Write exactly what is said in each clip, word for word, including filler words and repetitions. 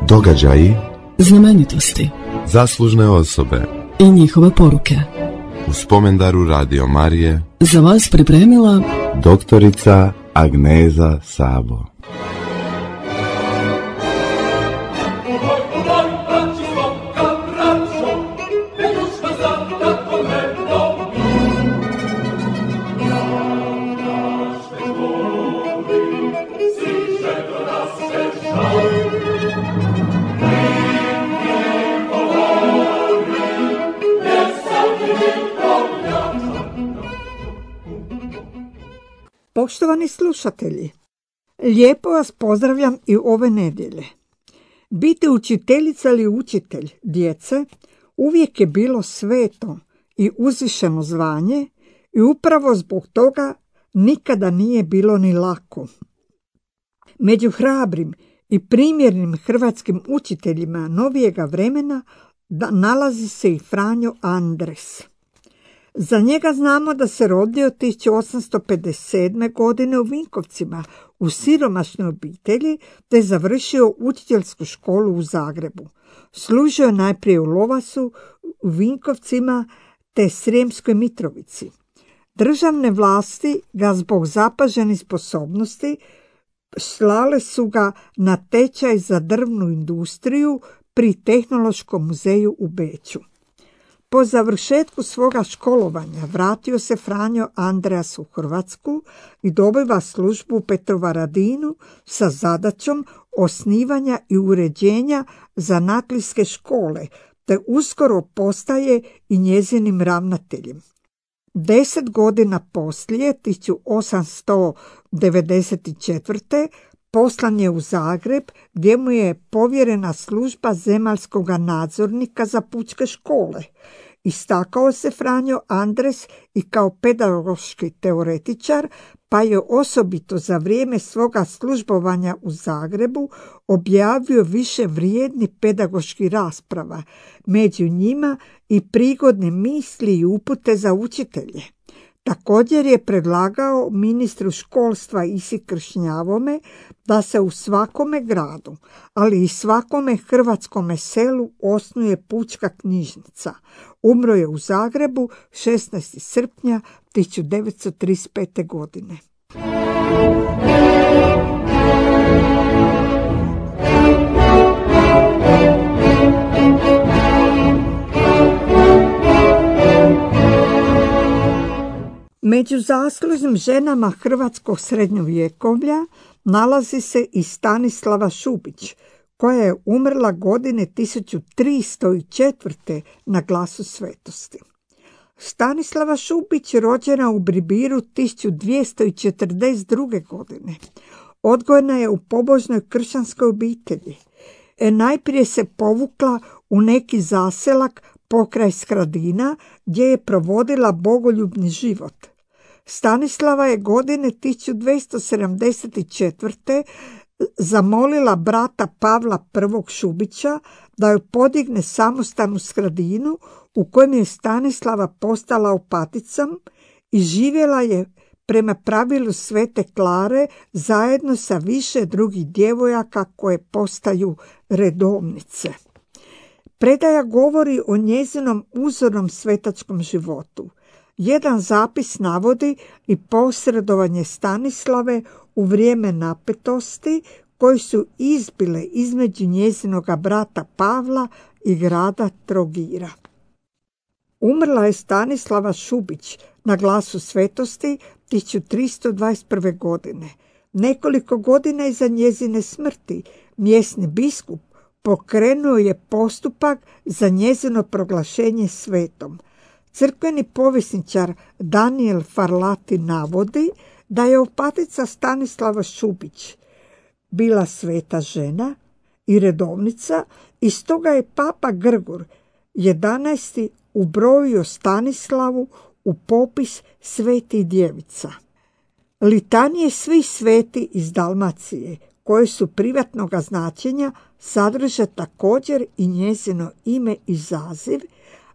Događaji, znamenitosti, zaslužne osobe i njihove poruke. U spomendaru Radio Marije Za vas pripremila doktorica Agneza Sabo. Poštovani slušatelji, lijepo vas pozdravljam i ove nedjelje. Biti učiteljica ili učitelj djece uvijek je bilo sveto i uzvišeno zvanje i upravo zbog toga nikada nije bilo ni lako. Među hrabrim i primjernim hrvatskim učiteljima novijega vremena nalazi se i Franjo Andres. Za njega znamo da se rodio tisuću osamsto pedeset sedme. godine u Vinkovcima u siromašnoj obitelji te završio učiteljsku školu u Zagrebu. Služio je najprije u Lovasu, u Vinkovcima te Srijemskoj Mitrovici. Državne vlasti ga zbog zapaženih sposobnosti slale su ga na tečaj za drvnu industriju pri Tehnološkom muzeju u Beču. Po završetku svoga školovanja vratio se Franjo Andreas u Hrvatsku i dobiva službu u Petrovaradinu sa zadaćom osnivanja i uređenja zanatlijske škole, te uskoro postaje i njezinim ravnateljem. Deset godina poslije, tisuću osamsto devedeset četvrte. poslan je u Zagreb gdje mu je povjerena služba zemaljskog nadzornika za pučke škole. Istakao se Franjo Andres i kao pedagoški teoretičar, pa je osobito za vrijeme svoga službovanja u Zagrebu objavio više vrijednih pedagoških rasprava, među njima i prigodne misli i upute za učitelje. Također je predlagao ministru školstva Isi Kršnjavome da se u svakome gradu, ali i svakome hrvatskome selu osnuje pučka knjižnica. Umro je u Zagrebu šesnaestog srpnja tisuću devetsto trideset pete. godine. Među zaslužnim ženama hrvatskog srednjovjekovlja nalazi se i Stanislava Šubić, koja je umrla godine tisuću tristo četvrte. na Glasu svetosti. Stanislava Šubić rođena u Bribiru tisuću dvjesto četrdeset druge. godine. Odgojena je u pobožnoj kršćanskoj obitelji. E, najprije se povukla u neki zaselak pokraj Skradina gdje je provodila bogoljubni život. Stanislava je godine tisuću dvjesto sedamdeset četvrte. zamolila brata Pavla prvog. Šubića da joj podigne samostan u Skradinu u kojem je Stanislava postala opaticom i živjela je prema pravilu Svete Klare zajedno sa više drugih djevojaka koje postaju redovnice. Predaja govori o njezinom uzornom svetačkom životu. Jedan zapis navodi i posredovanje Stanislave u vrijeme napetosti koji su izbile između njezinoga brata Pavla i grada Trogira. Umrla je Stanislava Šubić na Glasu svetosti tisuću tristo dvadeset prve. godine. Nekoliko godina iza njezine smrti mjesni biskup pokrenuo je postupak za njezino proglašenje svetom. Crkveni povjesničar Daniel Farlati navodi da je opatica Stanislava Šubić bila sveta žena i redovnica i stoga je Papa Grgur jedanaesti. ubrojio Stanislavu u popis svetih djevica. Litanije svih sveti iz Dalmacije, koje su privatnoga značenja, sadrže također i njezino ime i zaziv,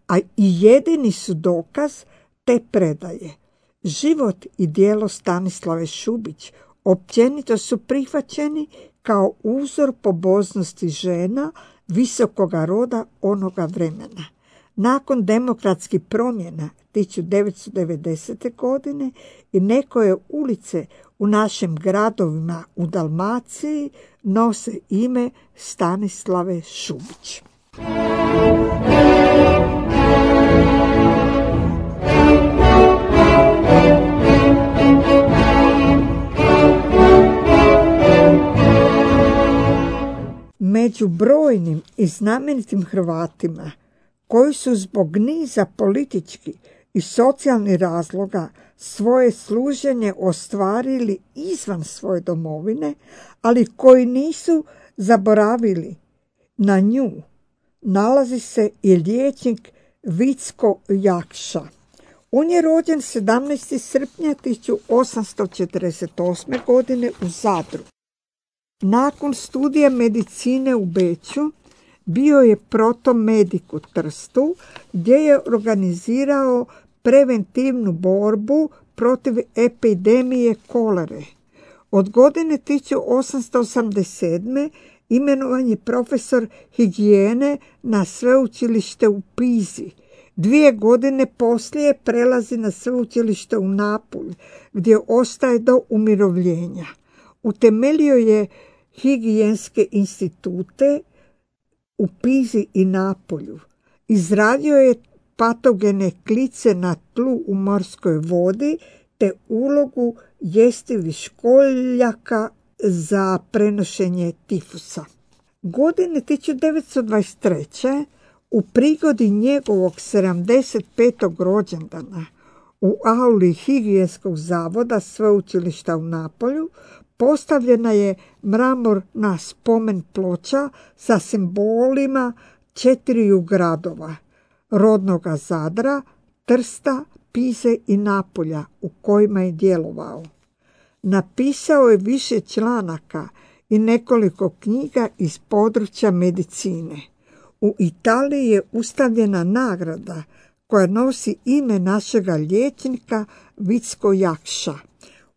a i jedini su dokaz te predaje. Život i djelo Stanislave Šubić općenito su prihvaćeni kao uzor pobožnosti žena visokoga roda onoga vremena. Nakon demokratskih promjena tisuću devetsto devedesete. godine i nekoje ulice u našim gradovima u Dalmaciji nose ime Stanislave Šubić. Među brojnim i znamenitim Hrvatima koji su zbog niza političkih i socijalnih razloga svoje služenje ostvarili izvan svoje domovine, ali koji nisu zaboravili na nju, nalazi se i liječnik Vicko Jakša. On je rođen sedamnaestog srpnja tisuću osamsto četrdeset osme. godine u Zadru. Nakon studija medicine u Beču bio je protomedik u Trstu, gdje je organizirao preventivnu borbu protiv epidemije kolere. Od godine tisuću osamsto osamdeset sedme. imenovan je profesor higijene na sveučilište u Pizi. Dvije godine poslije prelazi na sveučilište u Napulj, gdje ostaje do umirovljenja. Utemeljio je higijenske institute u Pizi i Napolju. Izradio je patogene klice na tlu u morskoj vodi te ulogu jestivih školjaka za prenošenje tifusa. Godine tisuću devetsto dvadeset treće. u prigodi njegovog sedamdeset petog rođendana u auli higijenskog zavoda sveučilišta u Napolju postavljena je mramorna spomen ploča sa simbolima četiriju gradova, rodnoga Zadra, Trsta, Pize i Napolja u kojima je djelovao. Napisao je više članaka i nekoliko knjiga iz područja medicine. U Italiji je ustavljena nagrada koja nosi ime našega liječnika Vicko Jakša.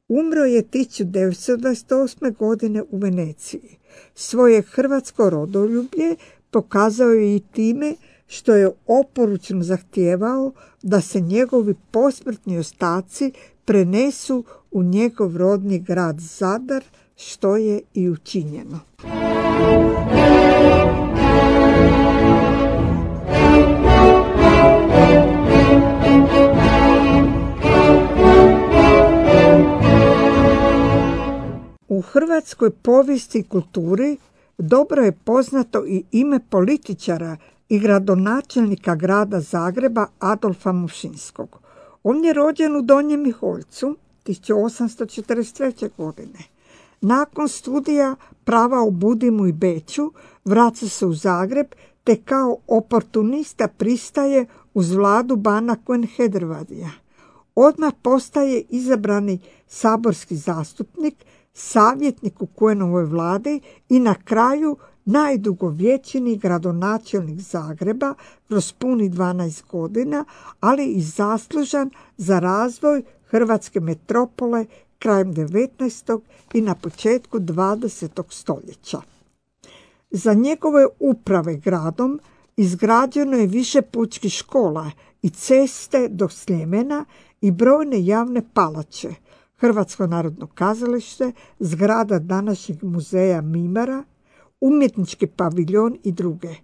Umro je tisuću devetsto dvadeset osme. godine u Veneciji. Svoje hrvatsko rodoljublje pokazao je i time što je oporučno zahtijevao da se njegovi posmrtni ostaci prenesu u njegov rodni grad Zadar, što je i učinjeno. U hrvatskoj povijesti i kulturi dobro je poznato i ime političara i gradonačelnika grada Zagreba Adolfa Mušinskog. On je rođen u Donjem Miholjcu tisuću osamsto četrdeset treće. godine. Nakon studija prava u Budimu i Beču vraća se u Zagreb te kao oportunista pristaje uz vladu bana Quenhedrvadija. Odmah postaje izabrani saborski zastupnik, savjetnik u Kuenovoj vladi i na kraju najdugovječniji gradonačelnik Zagreba kroz punih dvanaest godina, ali i zaslužan za razvoj hrvatske metropole krajem devetnaestog i na početku dvadesetog stoljeća. Za njegove uprave gradom izgrađeno je više pučkih škola i ceste do Sljemena i brojne javne palače, Hrvatsko narodno kazalište, zgrada današnjeg muzeja Mimara, umjetnički paviljon i druge.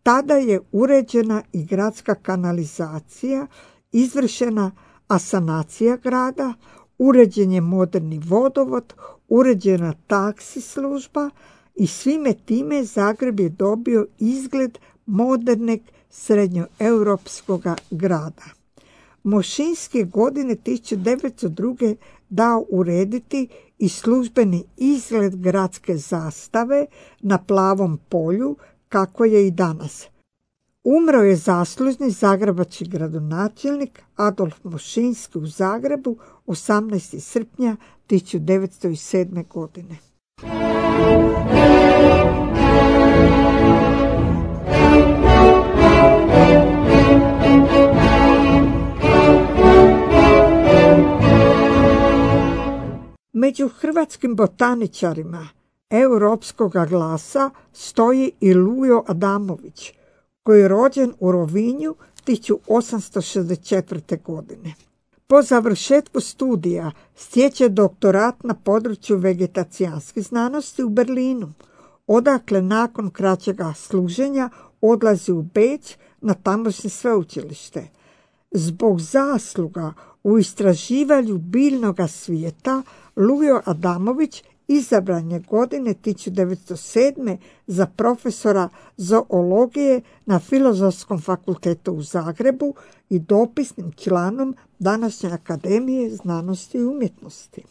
Tada je uređena i gradska kanalizacija, izvršena asanacija grada, uređen je moderni vodovod, uređena taksi služba i svime time Zagreb je dobio izgled modernog srednjoeuropskog grada. Mošinski godine tisuću devetsto druge. dao urediti i službeni izgled gradske zastave na plavom polju, kako je i danas. Umro je zaslužni zagrebački gradonačelnik Adolf Mošinski u Zagrebu osamnaestog srpnja tisuću devetsto sedme. godine. Među hrvatskim botaničarima europskog glasa stoji i Lujo Adamović, koji je rođen u Rovinju tisuću osamsto šezdeset četvrte. godine. Po završetku studija stječe doktorat na području vegetacijanskih znanosti u Berlinu, odakle nakon kraćega služenja odlazi u Beč na tamošnje sveučilište. Zbog zasluga u istraživanju biljnog svijeta Lujo Adamović izabran je godine tisuću devetsto sedme. za profesora zoologije na Filozofskom fakultetu u Zagrebu i dopisnim članom današnje Akademije znanosti i umjetnosti.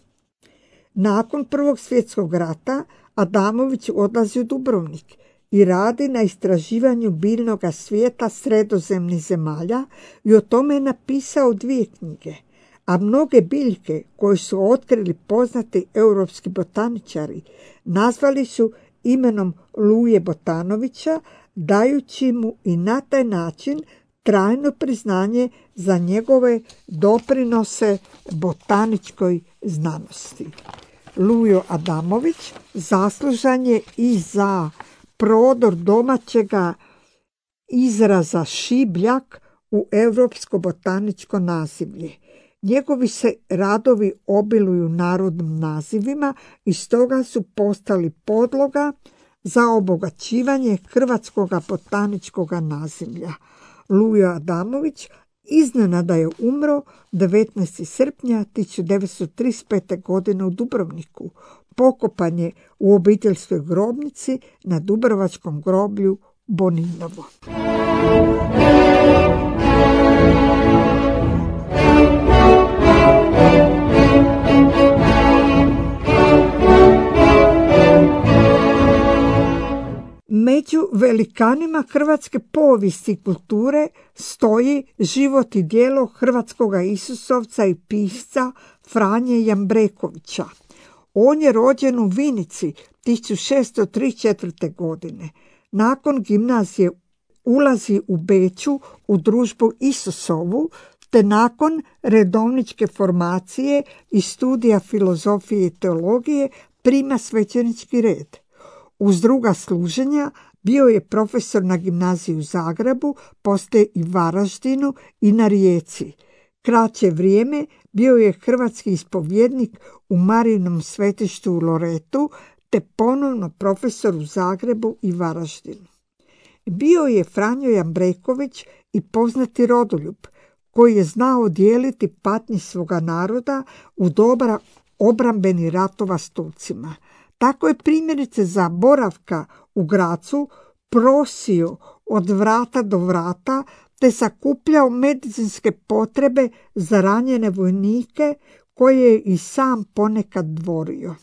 Nakon Prvog svjetskog rata Adamović odlazi u Dubrovnik i radi na istraživanju biljnog svijeta sredozemnih zemalja i o tome je napisao dvije knjige, a mnoge biljke koje su otkrili poznati europski botaničari nazvali su imenom Luje Botanovića, dajući mu i na taj način trajno priznanje za njegove doprinose botaničkoj znanosti. Lujo Adamović zaslužan je i za prodor domaćega izraza šibljak u europsko botaničko nazivlje. Njegovi se radovi obiluju narodnim nazivima i stoga su postali podloga za obogaćivanje hrvatskog botaničkog nazivlja. Lujo Adamović iznenada je umro devetnaestog srpnja tisuću devetsto trideset pete. godine u Dubrovniku. Pokopan je u obiteljskoj grobnici na dubrovačkom groblju Boninovo. Među velikanima hrvatske povijesti i kulture stoji život i djelo hrvatskoga isusovca i pisca Franje Jambrekovića. On je rođen u Vinici tisuću šessto trideset četvrte. godine. Nakon gimnazije ulazi u Beču u družbu Isusovu, te nakon redovničke formacije i studija filozofije i teologije prima svećenički red. Uz druga služenja bio je profesor na gimnaziji u Zagrebu, poslije i Varaždinu i na Rijeci. Kraće vrijeme bio je hrvatski ispovjednik u Marijinom svetištu u Loretu, te ponovno profesor u Zagrebu i Varaždinu. Bio je Franjo Jambreković i poznati rodoljub, koji je znao dijeliti patnje svoga naroda u doba obrambenih ratova s Turcima. Tako je primjerice za boravka u Gracu prosio od vrata do vrata, te sakupljao medicinske potrebe za ranjene vojnike koje je i sam ponekad dvorio.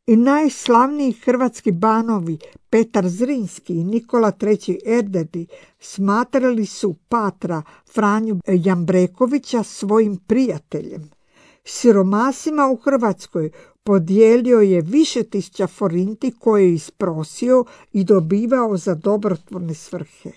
I najslavniji hrvatski banovi Petar Zrinski i Nikola treći Erdedi smatrali su patra Franju Jambrekovića svojim prijateljem. Siromasima u Hrvatskoj podijelio je više tisuća forinti koje je isprosio i dobivao za dobrotvorne svrhe.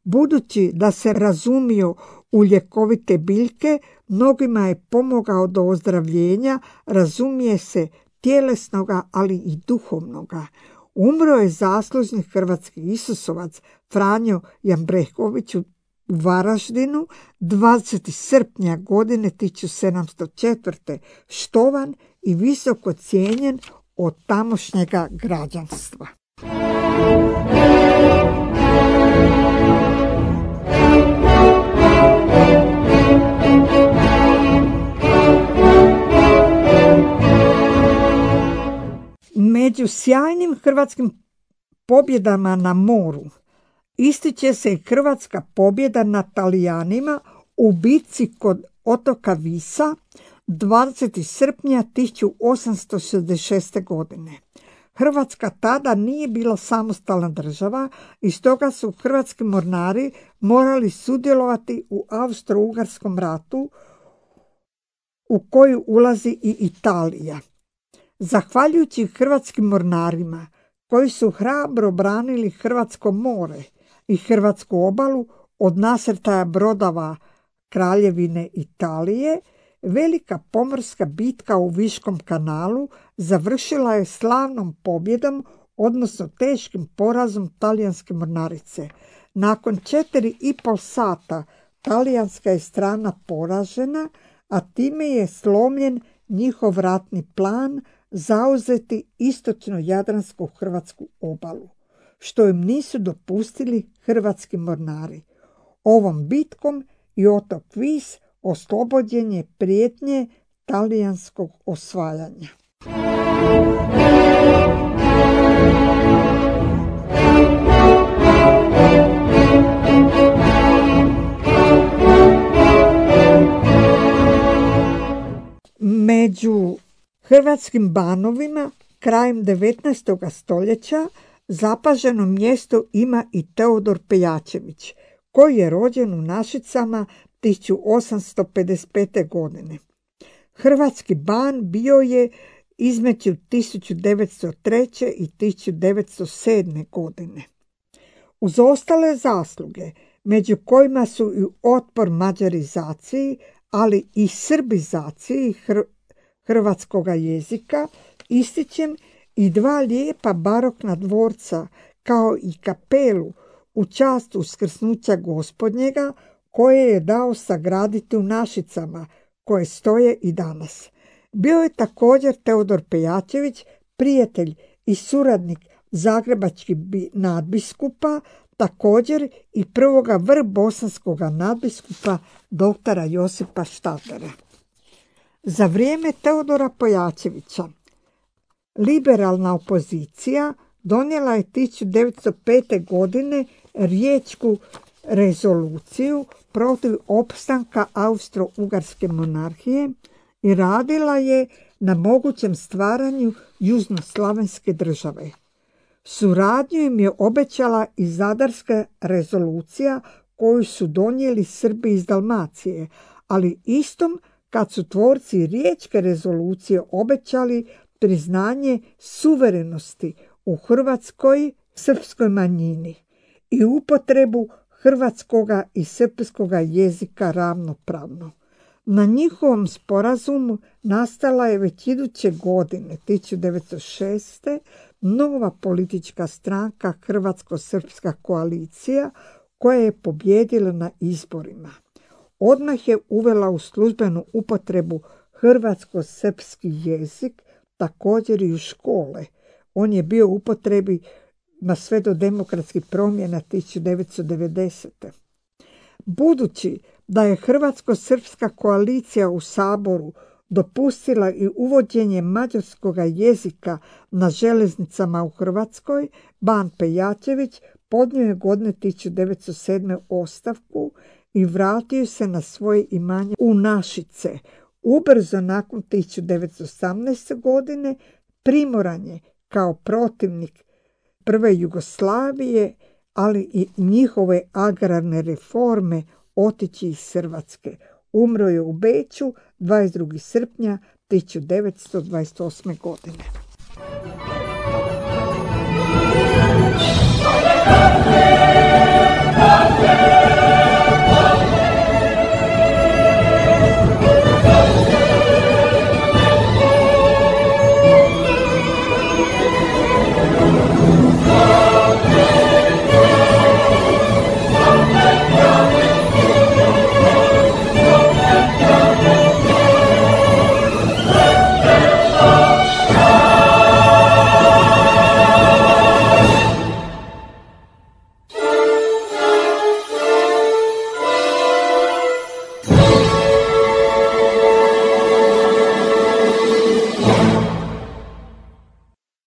Budući da se razumio u ljekovite biljke, mnogima je pomogao do ozdravljenja, razumije se tjelesnoga, ali i duhovnoga. Umro je zaslužni hrvatski isusovac Franjo Jambreković u Varaždinu dvadesetog srpnja godine tisuću sedamsto četvrte. štovan i visoko cijenjen od tamošnjega građanstva. Među sjajnim hrvatskim pobjedama na moru ističe se i hrvatska pobjeda nad Talijanima u bitci kod otoka Visa dvadesetog srpnja tisuću osamsto šezdeset šeste. godine. Hrvatska tada nije bila samostalna država i stoga su hrvatski mornari morali sudjelovati u Austro-Ugarskom ratu u koju ulazi i Italija. Zahvaljujući hrvatskim mornarima koji su hrabro branili hrvatsko more i hrvatsku obalu od nasrtaja brodova Kraljevine Italije, velika pomorska bitka u Viškom kanalu završila je slavnom pobjedom odnosno teškim porazom talijanske mornarice. Nakon četiri i pol sata talijanska je strana poražena, a time je slomljen njihov ratni plan zauzeti istočno jadransku hrvatsku obalu, što im nisu dopustili hrvatski mornari. Ovom bitkom i otok Vis oslobođen je prijetnje talijanskog osvajanja. Među hrvatskim banovima krajem devetnaestog stoljeća zapaženo mjesto ima i Teodor Peljačević, koji je rođen u Našicama tisuću osamsto pedeset pete. godine. Hrvatski ban bio je između tisuću devetsto treće. i tisuću devetsto sedme. godine. Uz ostale zasluge, među kojima su i otpor mađarizaciji, ali i srbizaciji hr- hrvatskoga jezika, ističem i dva lijepa barokna dvorca, kao i kapelu u čast uskrsnuća Gospodnjega, koje je dao sagraditi u Našicama, koje stoje i danas. Bio je također Teodor Peljačević prijatelj i suradnik zagrebačkih nadbiskupa, također i prvoga vrbosanskoga nadbiskupa doktora Josipa Štatera. Za vrijeme Teodora Peljačevića liberalna opozicija donijela je tisuću devetsto pete. godine riječku rezoluciju protiv opstanka Austro-Ugarske monarhije i radila je na mogućem stvaranju južnoslavenske države. Suradnju im je obećala i Zadarska rezolucija koju su donijeli Srbi iz Dalmacije, ali istom kad su tvorci riječke rezolucije obećali priznanje suverenosti u hrvatskoj srpskoj manjini i upotrebu hrvatskoga i srpskoga jezika ravnopravno. Na njihovom sporazumu nastala je već iduće godine, tisuću devetsto šeste. nova politička stranka Hrvatsko-srpska koalicija koja je pobijedila na izborima. Odmah je uvela u službenu upotrebu hrvatsko-srpski jezik, također i u škole. On je bio u upotrebi na sve do demokratskih promjena tisuću devetsto devedesete. Budući da je Hrvatsko-srpska koalicija u Saboru dopustila i uvođenje mađarskog jezika na željeznicama u Hrvatskoj, ban Peljačević podnio je godine tisuću devetsto sedme. ostavku i vratio se na svoje imanje u Našice. Ubrzo nakon tisuću devetsto osamnaeste. godine primoran je kao protivnik prve Jugoslavije, ali i njihove agrarne reforme, otići iz Hrvatske. Umro je u Beču dvadeset drugog srpnja tisuću devetsto dvadeset osme. godine.